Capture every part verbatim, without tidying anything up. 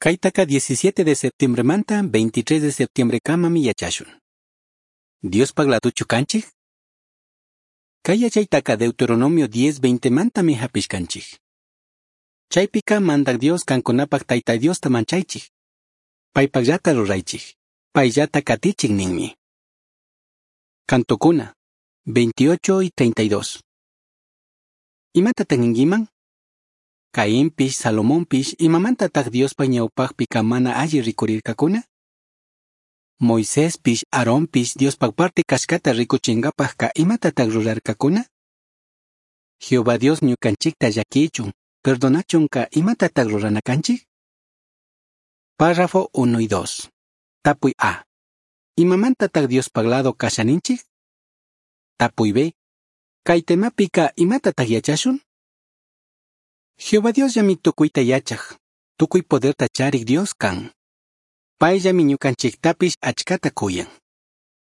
Caitaca diecisiete de septiembremanta veintitrés de septiembrecamami yachashun. Diospaj ladochu canchij? Cai yachaitaca Deuteronomio diez veintemantami japishcanchij. Chaipica Mandaj Dios cancunapaj Taita Diosta manchaichij. Paipajllata ruraichij. Paillata catichij ninmi. Cantocuna, veintiocho y treinta y dos. Imatataq ninkiman? Cainpish, Salomonpish, imamantataq Diospa ñawpaqpika mana alli rikurirkakuna? Moisespish, Aaronpish Diospa parte kashkata rikuchinkapajka imatataq rurarkakuna? Jehová Dios ñukanchikta llakichun, perdonachunka imatataq rurana kanchik? Párrafo uno y dos. Tapuy A. Imamantataq Diospaj lado kashaninchik? Tapuy B. Kay temapika imatataq yachashun? Jehová Dios llami tukuyta yachaj, tukuy poderta charik Dios kan. Payllami ñukanchiktapish achkata kuyan.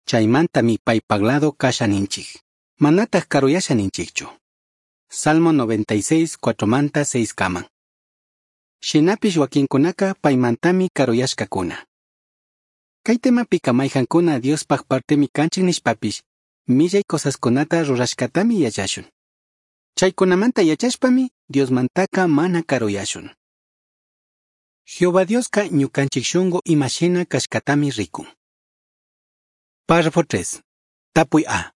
Chaymantami paypaj lado kashaninchik, manataq karuyashaninchikchu. Salmo noventa y seis, cuatromanta seis kaman. Shinapish wakinkunaka paymantami karuyashkakuna. Kay temapika mayhankuna Diospaj partemi kanchik nishpapish, millay cosaskunata rurashkatami yachashun. Chaykunamanta yachashpami Diosmantaka mana karuyashun. Jehová Dioska ñukanchik shunku imashina kashkatami rikun. Párrafo tres. Tapuy A.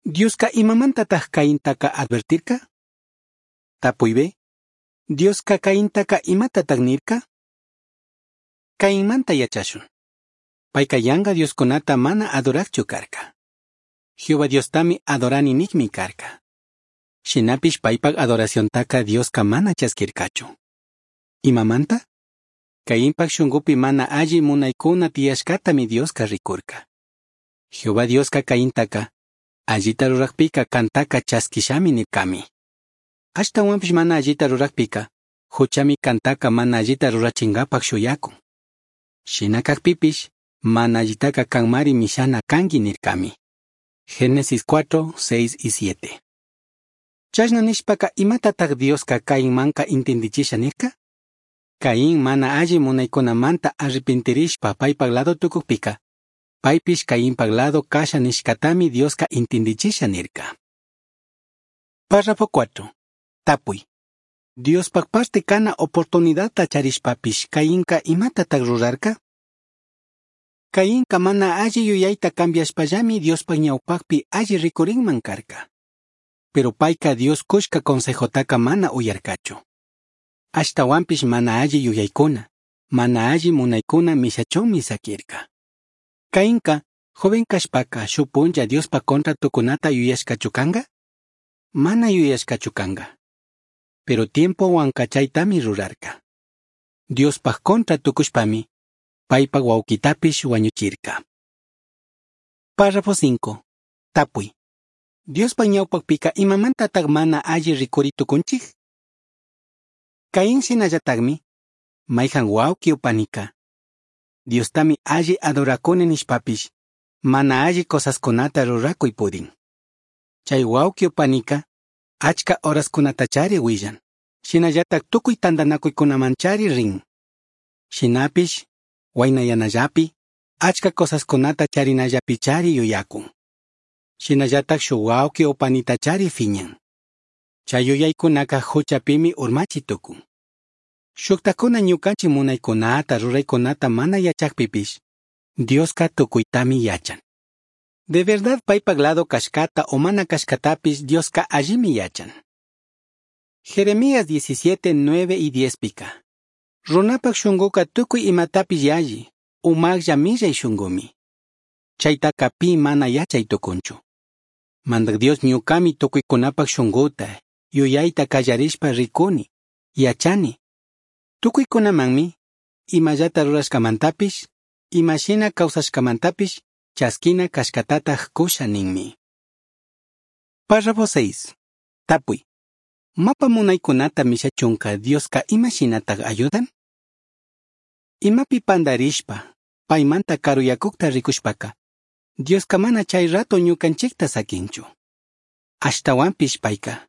Dioska imamantataq Caintaka advertirka? Tapuy B. Dioska Caintaka imatataq nirka? Cainmanta yachashun. Payka yanka Dioskunata mana adorakchu karka. Jehová Diostami adorani nikmi karka. Shinapish paypak adoraciontaka Dioska mana chaskirkachu. Imamanta? Cainpak shunkupi mana alli munaykuna tiyashkatami Dioska rikurka. Jehová Dioska Caintaka allita rurakpika kantaka chaskishami nirkami. Ashtawanpish mana allita rurakpika, huchami kantaka mana allita rurachinkapak shuyakun. Shina kakpipish, mana allitaka kanmari mishana kanki nirkami. Génesis cuatro, seis y siete. Chashna nishpaka imatataq Dioska Cainmanka intindichisha nirka? Caín mana alli munaykunamanta arrepentirishpa paypaj lado tukukpika, paypish Cainpaj lado kasha nishkatami Dioska intindichisha nirka. Párrafo cuatro. Tapuy. Diospaj parte kana oportunidadta charishpapish Cainka imatataq rurarka? Cainka mana alli yuyayta cambiashpallami Diospaj ñawpaqpi alli rikurinman karka. Pero payka Dios kushka consejotaka mana uyarkachu. Ashtawanpish mana alli yuyaykuna, mana alli munaykuna mishachunmi sakirka. Cainka, joven kashpaka shuk punlla Diospa contra tukunata yuyashkachu kanka? Mana yuyashkachu kanka. Pero tiempowanka chaytami rurarka. Diospaj contra tukushpami, paypak wawkitapish wañuchirka. Párrafo cinco. Tapuy. Diospa ñawpaqpika imamantataq mana alli rikuri tukunchik? Caín shinallataqmi, mayhan wawqi upanika. Diostami alli adorakuni nishpapish, mana alli cosaskunata rurakuy pudin. Chay wawqi upanika, achka horaskunatachari willan, shinallataq tukuy tantanakuykunamanchari rin. Shinapish, waynayanallapi, achka cosaskunata charinallapichari yuyakun. Shinallataq shuk wawqi upanitachari fiñan. Chay yuyaykunaka huchapimi urmachi tukun. Shuktakuna ñukanchik munaykunata ruraykunata mana yachakpipish, Dioska tukuytami yachan. De verdad paypaj lado kashkata o mana kashkatapish Dioska allimi yachan. Jeremías diecisiete, nueve y diez pika. Runapak shunkuka tukuy imatapish yalli, umaqlla millay shunkumi. Chaytaka pi mana yachay tukunchu. Mandaj Dios ñukami tukuykunapak shunkuta, yuyayta kallarishpa rikuni, yachani. Tukuykunamanmi, imallata rurashkamantapish, imashina kawsashkamantapish, chaskina kashkatataq kusha ninmi. Párrafo seis. Tapuy. Mapa munaykunata mishachunka Dioska imashinataq ayudan? Imapi pandarishpa, paymanta karuyakukta rikushpaka, Dioska mana chay rato ñukanchikta sakinchu. Ashtawanpish payka,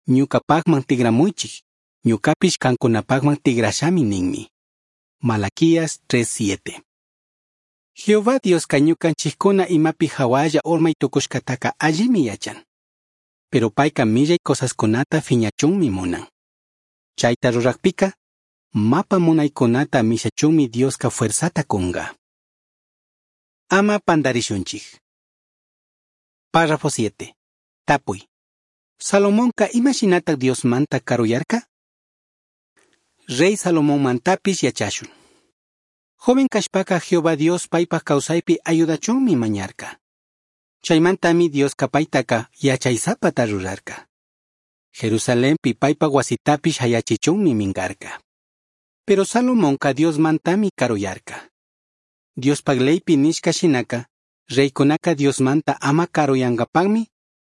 ñukapaqman tigramuychik, ñukapish kankunapaqman tigrashami ninmi. Malaquías tres siete. Jehová Diosca ñucanchijcuna imapi jahualla urmai tucushcataca allimi yachan. Pero paica millai cosascunata fiñachunmi munan. Chaita rurajpica, mapa munaicunata mishachunmi Diosca fuerzata cunga. Ama pandarishunchij. Párrafo siete. Tapui. Salomonca imashinataj Diosmanta karuyarca? Rey Salomón mantapish yachashun. Joven kashpaka Jehová Dios paipaj kawsaypi ayudachunmi mañarka. Chaymantami Diosca paytaka yachaysapata rurarka. Jerusalenpi paypaj wasitapish hayachichunmi minkarka. Pero Salomonka Diosmantami karuyarka. Diospaj leypi nishka shinaka, reykunaka Diosmanta ama karuyankapakmi,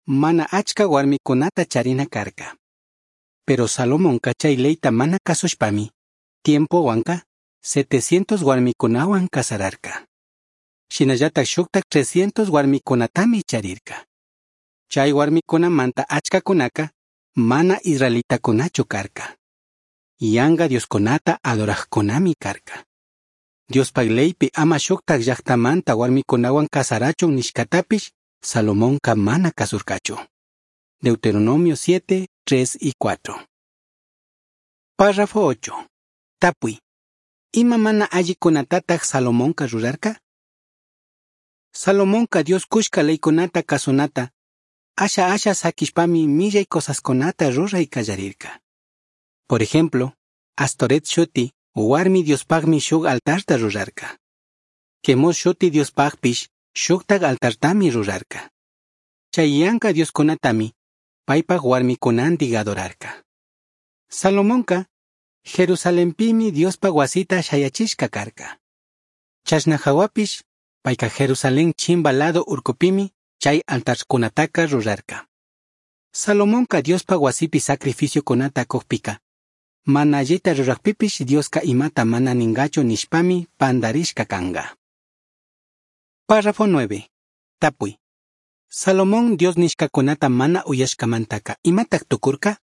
mana achka warmikunata charina karka. Pero Salomonka chay leyta mana kasushpami, tiempowanka setecientos warmikunawan casararka. Shinallatak shuktak trescientos warmikunatami charirka. Chay warmikunamanta achkakunaka mana israelitakunachu karka. Yanga dioskunata adorajkunami karka. Diospaj leypi ama shuktak llaktamanta warmikunawan casarachun nishkatapish Salomonka mana kasurkachu. Deuteronomio siete, tres y cuatro. Párrafo ocho. Tapui. Ima mana allikunatataj Salomonka rurarka? Salomonka Dios kushka leykunata kasunata, asha asha sakishpami millay cosaskunata ruray kallarirka. Por ejemplo, Astoret shuti warmi Diospajmi shuk altarta rurarka. Quemos shuti Diospajpish shuktak altartami rurarka. Chay yanka dioskunatami paypaj warmikunantik adorarka. Salomonka Jerusalenpimi Diospaj wasita shayachishka karka. Chashna hawapish payka Jerusalén chimba lado urkupimi chay altarkunataka rurarka. Salomonka Diospaj wasipi sacrificiokunata kukpika, mana allita rurajpipish Dioska imata mana ningachu nishpami pandarishka kanga. Párrafo nueve. Tapui. Salomón Dios nishkakunata mana uyashkamantaka imatak tukurka?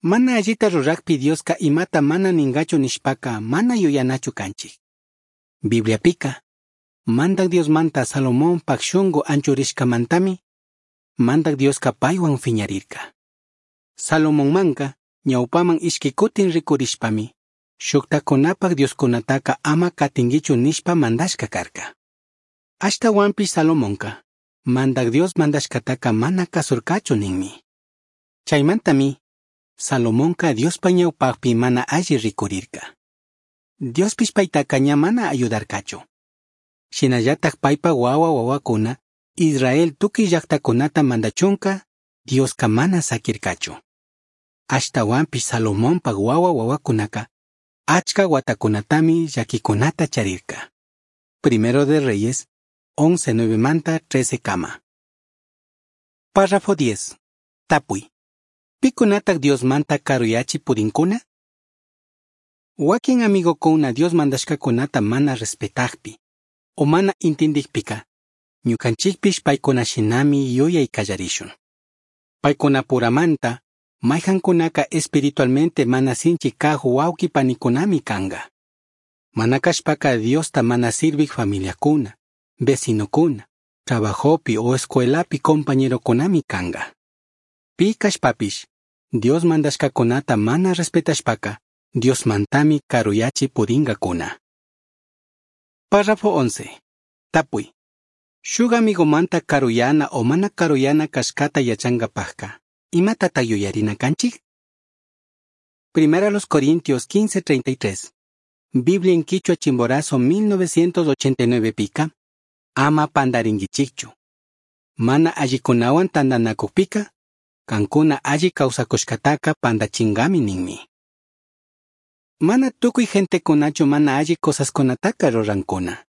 Mana allita rurajpi Dioska imata mana ningachu nishpaka mana yuyanachu kanchik. Bibliapika, Mandak Diosmanta Salomón pak shungu anchurishkamantami, Mandak Dioska paywan fiñarirka. Salomonmanka ñawpaman ishki kutin rikurishpami, shuktakunapak dioskunataka ama katinkichu nishpa mandashka karka. Ashtawanpish Salomonka, Mandak Dios mandashkataka mana kasurkachu ninmi. Chaymantami, Salomonka Diospa ñawpakpi mana alli rikurirka. Diospish paytaka ña mana ayudarkachu. Shinallatak paypa wawa wawakuna, Israel tukuy llaktakunata mandachunka, Dioska mana sakirkachu. Ashtawanpish Salomonpak wawa wawakunaka, achka watakunatami llakikunata charirka. Primero de Reyes, once nueve manta trece kama. Párrafo diez. Tapui. Pikunatak Diosmanta karuyachi pudinkuna? Wakin amigokuna Dios mandashkakunata mana respetajpi, o mana intindikpika, ñukanchikpish paykuna shinami yuyay kallarishun. Paykunapuramanta, mayhankunaka espiritualmente mana sinchi kaj wawqi panikunami kanga. Mana kashpaka Diosta mana sirvik familiakuna, vecinokuna, trabajopi o escuelapi compañerokunami kanga. Pi kashpapish, Dios mandashkakunata mana respetashpaka, Diosmantami karuyachi pudingakuna. Párrafo once. Tapui. Shuk amigomanta karuyana o mana karuyana kashkata yachangapajka, imatata yuyarina kanchik? Primera los Corintios quince treinta y tres. Biblia en Quichua Chimborazo mil novecientos ochenta y nueve pica, ama pandaringichikchu. Mana allikunawan tandanakukpika, kankuna alli kawsakushkataka pandachingami ninmi. Mana tukuy gentekunachu mana alli cosaskunataka rurankuna.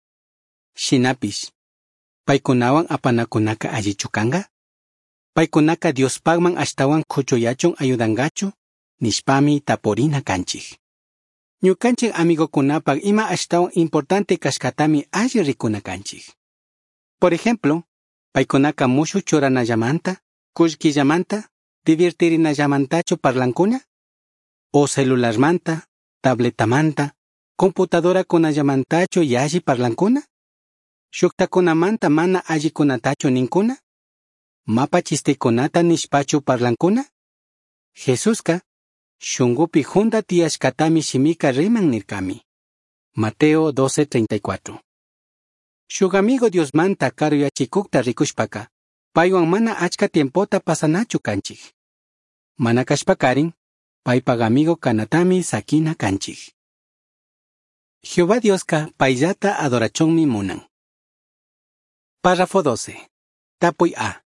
Shinapish, paykunawan apanakunaka allichu kanga? Paykunaka Diospakman ashtawan kuchuyachun ayudangachu, nishpami tapurina kanchik. Ñukanchik amigokunapak ima ashtawan importante kashkatami alli rikuna kanchik. Por ejemplo, paykunaka mushu churanallamanta, kullkillamanta, divirtirinallamantachu parlankuna? O celularmanta, tabletamanta, Computadoracunallamantachu yalli parlancuna? Shujtajcunamanta mana allicunatachu nincuna? Mapa chistecunata nishpachu parlancuna? Jesusca shungupi junda tiyashcatami shimica riman nircami. Mateo doce treinta y cuatro. Shuk amigo Diosmanta karuyachikukta rikushpaka, paywan mana achka tiempota pasanachu kanchik. Mana kashpakarin, paypak amigo kanatami sakina kanchik. Jehová Dioska payllata adorachunmi munan. Párrafo doce. Tapuy A.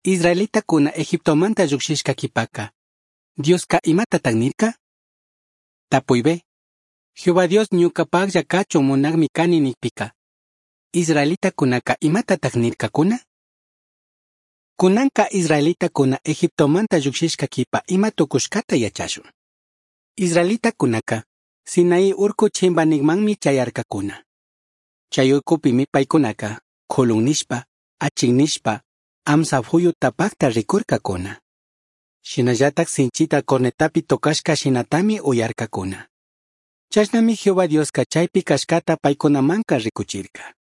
Israelitakuna Egiptomanta llukshishka kipaka, Dioska imatataq nirka? Tapuy B. Jehová Dios ñuqapaqlla kachun munaqmi kani nikpika, Israelitakunaka imatataq nirkakuna? Kunanka israelitakuna Egiptomanta llukshishka kipa ima tukushkata yachashun. Israelitakunaka Sinaí urku chimbanikmanmi chayarkakuna. Chay urkupimi paykunaka khulun nishpa, achin nishpa, amsa phuyu tapakta rikurkakuna. Shinallatak sinchita cornetapi tocashka shinatami uyarkakuna. Chashnami Jehová Dioska chaypi kashkata paykunamanka rikuchirka.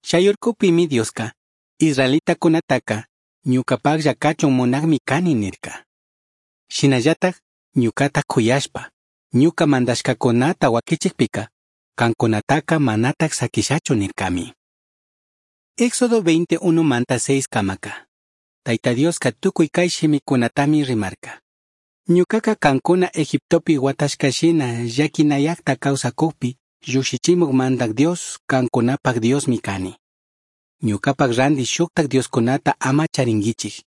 Chay urkupimi Dioska israelitakunataka ñuqapaqlla kachun munaqmi kani nirka. Shinallatak ñuqata khuyashpa, ñuqa mandashkakunata wakichikpika, kankunataka manatak sakishachu nirkami. Éxodo veintiuno manta seis kamaka. Tayta Dioska tukuy kay shimikunatami rimarka. Ñuqaka kankuna Egiptopi watashkashina llakinayaqta kawsakukpi llukshichimuk mandak Dios kankunapak Diosmi kani. Ñuqapak ranti shuktak Dioskunata ama charinkichik.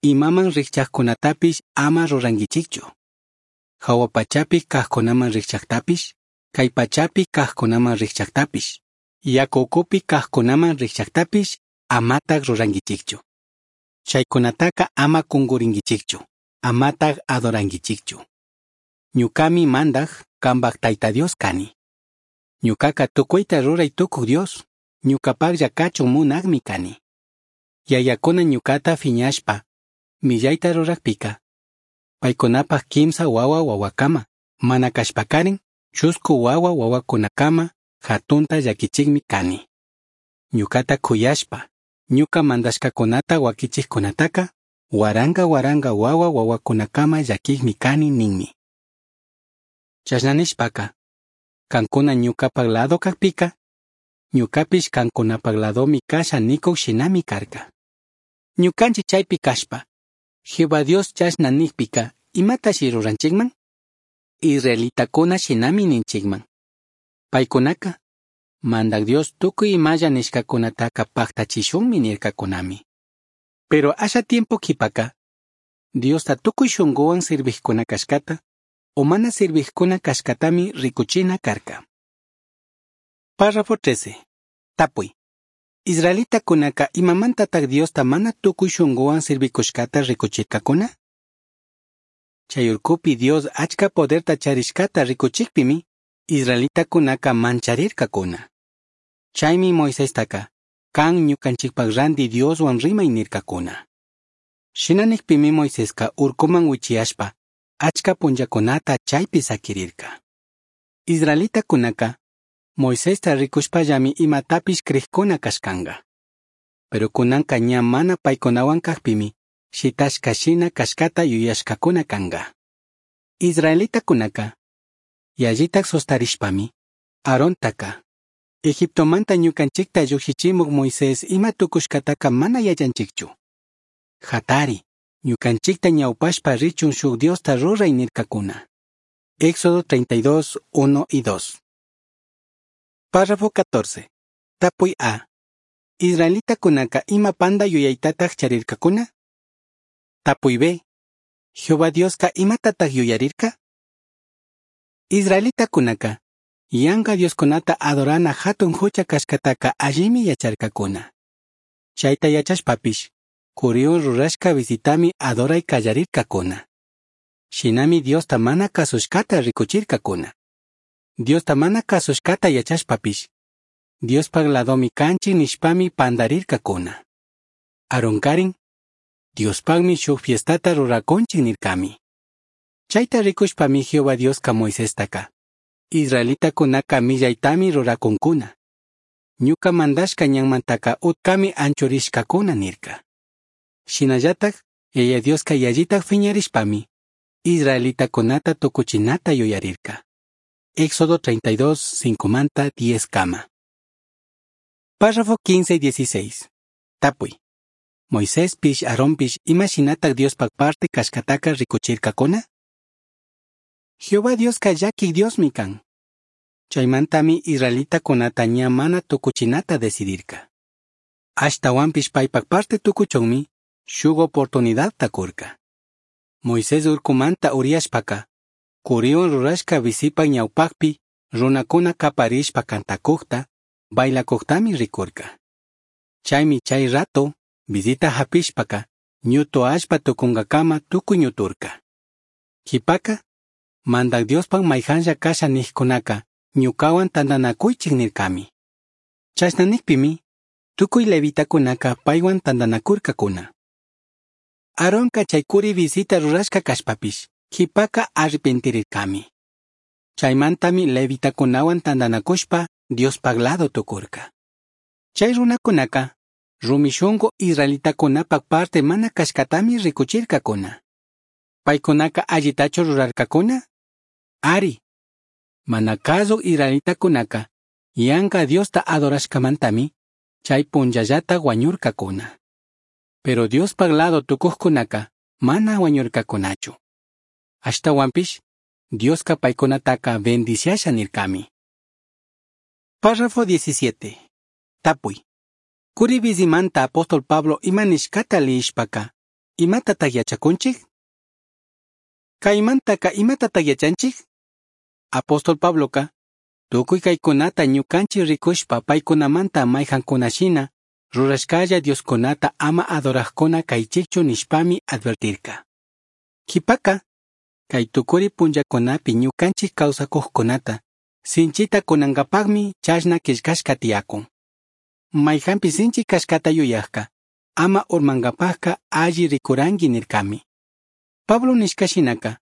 Imaman rikchaqkunatapish ama rurankichikchu. Hawa pachapi kaqkunaman rikchaqtapish, kay pachapi kaqkunaman rikchaqtapish, yaku ukupi kaqkunaman rikchaqtapish amataq rurankichikchu. Chaykunataka ama kunkurinkichikchu, amataq adorankichikchu. Ñuqami mandaq kanpak Tayta Dios kani. Ñuqaka tukuyta ruray tukuq Dios, ñuqapaqlla kachun munaqmi kani. Yayakuna ñuqata phiñashpa, millayta rurakpika, paykunapaq kimsa wawa wawakama, mana kashpakarin, chusku wawa wawakunakama, hatunta llakichikmi kani. Ñuqata khuyashpa, ñuqa mandashkakunata wakichikkunataka, waranga waranga wawa wawakunakama llakikmi kani ninmi. Chashna nishpaka, kankuna ñuqapak lado kakpika, ñuqapish kankunapak ladomi kasha nikuk shinami karka. Ñuqanchik chaypi kashpa, Jehová Dios chashna nikpika, imatashi ruranchikman? Israelitakuna shinami ninchikman. Paykunaka, mandak Dios tukuy imalla nishkakunataka paktachishunmi nirkakunami. Pero asha tiempo kipaka, Diosta tukuy shunguwan sirvijkuna kashkata, o mana sirvijkuna kashkatami rikuchina karka. Párrafo trece. Tapuy. Israelitakunaka imamantataq Diosta mana tukuy shunguwan sirvikushkata rikuchirkakuna? Chay urkupi Dios achka poderta charishkata rikuchikpimi, israelitakunaka mancharirkakuna. Chaymi Moisestaka, kan ñukanchikpak ranti Dioswan rimay nirkakuna. Shina nikpimi Moiseska urkuman wichiyashpa, achka punllakunata chaypi sakirirka. Israelitakunaka, Moisesta rikushpallami imatapish kriqkuna kashkanqa. Pero kunanka ña mana paykunawan kaqpimi, shitashka shina kashkata yuyashkakuna kanqa. Israelitakunaka, yallitak sustarishpami, Aarontaka, Egiptomanta ñukanchikta llukshichimuk Moisés ima tukushkataka mana yachanchikchu. Hatari, ñukanchikta ñawpashpa richun shuk Diosta ruray nirkakuna. Éxodo treinta y dos, uno y dos. Párrafo catorce. Tapuy A. Israelitakunaka ima panda yuyaytataq charirkakuna? Tapuy B. Jehová Dioska imatataq yuyarirka? Israelitakunaka, yanka Dioskunata adorana hatun hucha kashkataka allimi yacharkakuna. Chayta yachashpapish, kuriun rurashka visitami adoray kallarirkakuna. Shinami Diosta mana kasushkata rikuchirkakuna. Diosta mana kasushkata yachashpapish, Diospak ladomi kanchik nishpami pandarirkakuna. Aaronkarin, Diospakmi shuk fiestata rurakunchik nirkami. Chayta rikushpami Jehová Dioska Moisestaka, Israelitacunaca millaitami ruracuncuna. Ñuca mandashca ñanmantaca utcami anchurishcacuna nirca. Shinallataj, Yaya Diosca yallitaj fiñarishpami, israelitacunata tucuchinata yuyarirca. Éxodo treinta y dos, cincomanta diez kama. Párrafo quince y dieciséis. Tapuy. Moiséspish, Aarónpish, ima shinataj Diospaj parte cashcataca ricuchircacuna? Jehová Diosca llaquij Diosmi can. Chaimantami israelitacunata ña mana tucuchinata decidirca. Ashtahuanpish paipaj parte tucuchunmi shuk oportunidadta curca. Moisés urcumanta uriyashpaca, curiwan rurashca bizipaj ñawpajpi runacuna caparishpa cantacujta, bailacujtami ricurca. Chaymi chay rato bizita hapishpaca, ñutu allpa tucungacama tucuy ñuturca. Jipaka, Mandaj Diospaj mayjanlla kasha nijkunaka, ñukawan tantanakuychik nirkami. Chashna nikpimi, tukuy levitakunaka paywan tantanakurkakuna. Aaronka chay kuri visita rurashka kashpapish, jipaka arrepentirirkami. Chaymantami levitakunawan tantanakushpa Diospaj lado tukurka. Chay runakunaka, rumi shunku israelitakunapak parte mana kashkatami rikuchirkakuna. Paykunaka allitachu rurarkakuna? Ari. Mana kazuk israelitakunaka, yanka Diosta adorashkamantami, chay punllallata wañurkakuna. Pero Diospaj lado tukujkunaka, mana wañurkakunachu. Ashtawanpish, Dioska paykunataka bendiciasha nirkami. Párrafo diecisiete. Tapuy. Kuri bizimanta apóstol Pablo ima nishkata liyishpaka, imatataq yachakunchik? Kaymantaka imatataq yachanchik? Apóstol Pabloka, tukuy kaykunata ñukanchik rikushpa paykunamanta mayjankunashina, rurashkalla Dioskunata ama adorajkuna kaychikchu nishpami advertirka. Jipaka, kay tukuri punllakunapi ñukanchik kawsakujkunata, sinchita kunankapaqmi chashna qillqashka tiyakun. Mayjanpi sinchi kashkata yuyajka, ama urmankapajka alli rikuranki nirkami. Pablo nishka shinaka,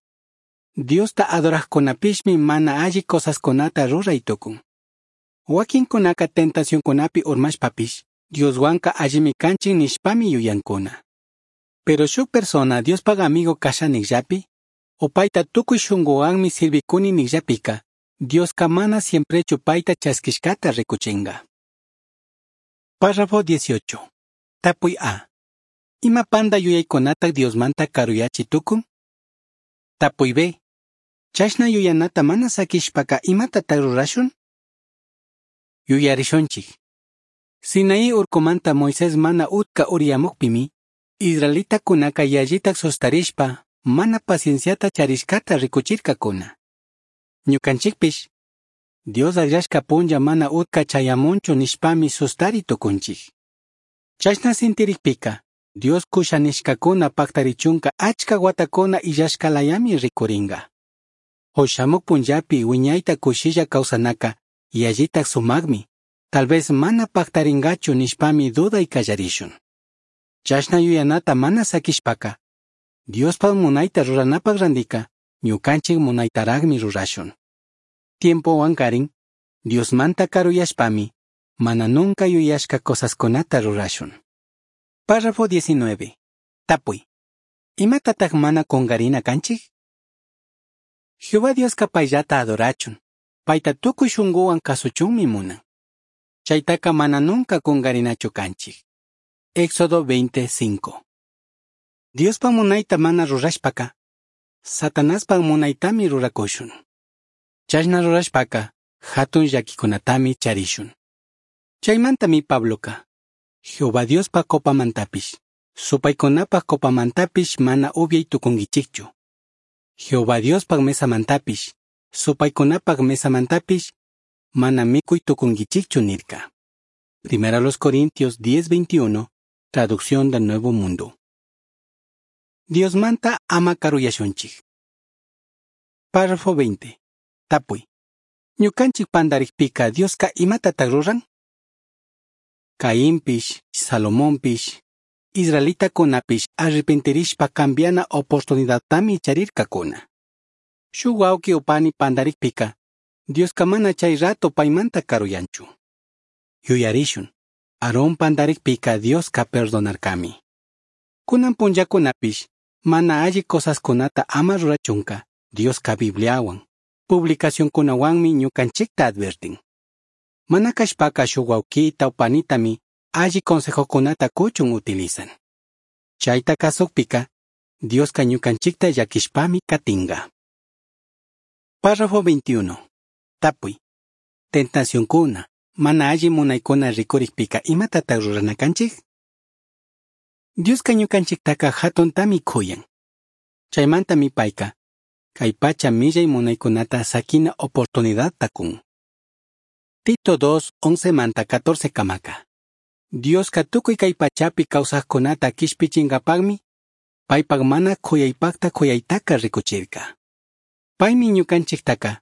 Diosta adorajkunapishmi mana alli cosaskunata ruray tukun. Wakinkunaka tentacionkunapi urmashpapish, Dioswanka allimi kanchik nishpami yuyankuna. Pero shuk persona Diospaj amigo kasha nijllapi, o payta tukuy shunkuwanmi sirvikuni nijllapika, Dioska mana siemprechu payta chaskishkata rikuchinga. Párrafo dieciocho. Tapuy A. Ima panda yuyaykunata Diosmanta karuyachi tukun? Tapuy B. Chashna yuyanata mana sakishpaka imatataq rurashun? Yuyarishunchik. Sinaí urkumanta Moisés mana utka uriyamukpimi, israelitakunaka yallitak sustarishpa mana pacienciata charishkata rikuchirkakuna. Ñukanchikpish, Dios akllashka punlla mana utka chayamunchu nishpami sustari tukunchik. Chashna sintirikpika, Dios kusha nishkakuna paktarichunka achka watakuna illashkalayami rikuringa. O shamuk punllapi wiñayta kushilla kawsanaka yallitak sumakmi, tal vez mana paktaringachu nishpami duday kallarishun. Chashna yuyanata mana sakishpaka, Diospaj munayta ruranapaj randika, ñukanchik munaytaraqmi rurashun. Tiempowan karin, Diosmanta karuyashpami, mana nunca yuyashka cosaskunata rurashun. Párrafo diecinueve. Tapuy. Imatataq mana qunqarina kanchik? Jehová Dioska payllata adorachun, payta tukuy shunkuwan kasuchunmi munan. Chaytaka mana nunca qunqarinachu kanchik. Éxodo veinticinco. Diospa munayta mana rurashpaka, Satanaspa munaytami rurakushun. Chashna rurashpaka, hatun llakikunatami charishun. Chaymantami Pabloka, Jehová Diospa copamantapish, supaykunapaj copamantapish mana upyay tukunkichikchu. Jehová Diospaj mesamantapish, supaykunapaj mesamantapish, mana mikuy tukunkichikchu nirka. Primero a los Corintios diez veintiuno, traducción del Nuevo Mundo. Diosmanta ama karuyashunchik. Párrafo veinte. Tapuy. Ñukanchik pandarikpika Dioska imatataq ruran? Caínpish, Salomonpish, israelitakunapish arrepentirishpa cambiana oportunidadtami charirkakuna. Shuk wawqi o pani pandarikpika, Diosca mana chai rato paimanta caruyanchu. Yuyarishun, Aarón pandaricpica Diosca perdonarcami. Cunan punllacunapish, mana alli cosascunata ama rurachunca, Diosca Bibliahuan, publicacioncunahuanmi ñucanchicta advertin. Mana cashpaca shuk huauquita o panitami alli consejocunata cuchun utilizan. Chaita kazukpika, Diosca ñucanchicta llaquishpami catinga. Párrafo veintiuno. Tapuy. Tentacioncuna, mana alli munaicuna ricuricpica imatataq rurana canchik? Diosca ñucanchictaca jatuntami cuyan. Chaimantami paica, kay pacha millay munaicunata saquina oportunidadta cun. Tito dos, once manta catorce kamaka. Diosca tukuy kay pachapi kawsaqkunata kishpichinkapaqmi, paypak mana kuyaypaqta kuyaytaka rikuchirka. Paymi ñukanchiktaka,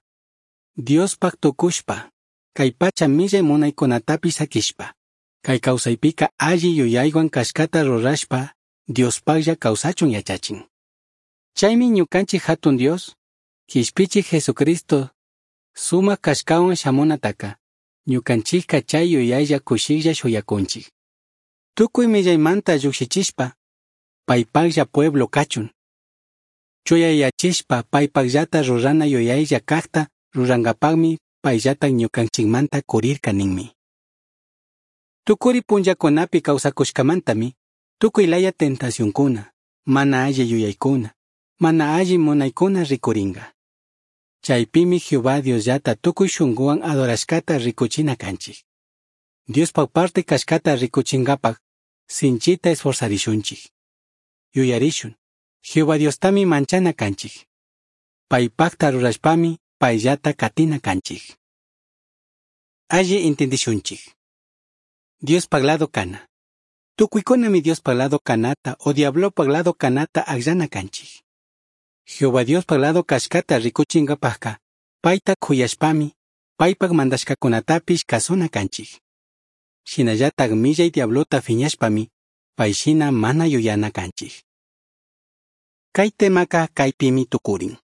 Diospaq tukushpa, kay pacha millay munaykunatapish sakishpa, kay kawsaypika alli yuyaywan kashkata rurashpa, Diospaqlla kawsachun yachachin. Chaymi ñukanchik hatun Dios, kishpichik Jesucristo, sumak kashkawan shamunataka, ñukanchikka chay yuyaylla kushiklla shuyakunchik. Tukuy millaymanta llukshichishpa, paypaqlla pueblo kachun. Chuyayachishpa paypaqllata rurana yuyaylla kaqta rurankapaqmi payllata ñukanchikmanta kurirka ninmi. Tukuri punllakunapi kawsakushkamantami, tukuy laya tentacionkuna, mana alli yuyaykuna, mana alli munaykuna rikuringa. Chaypimi Jehová Diosllata tukuy shunguwan adorashkata rikuchina kanchik. Diospaq parte kashkata rikuchinkapaq sinchita esforzarishunchik. Yuyarishun, Jehová Diostami manchana kanchik. Paypaqta rurashpami payllata katina kanchik. Alli entendishunchik. Diospaq lado kana. Tukuykunami Diospaq lado kanata o diablopaq lado kanata akllana kanchik. Jehová Diospaq lado kashkata rikuchinkapaqka, payta kuyashpami, paypaq mandashkakunatapish kasuna kanchik. Shinallatak millay diablota fiñashpami, payshina mana yuyana kanchik. Kay temaka kaypimi tukurin.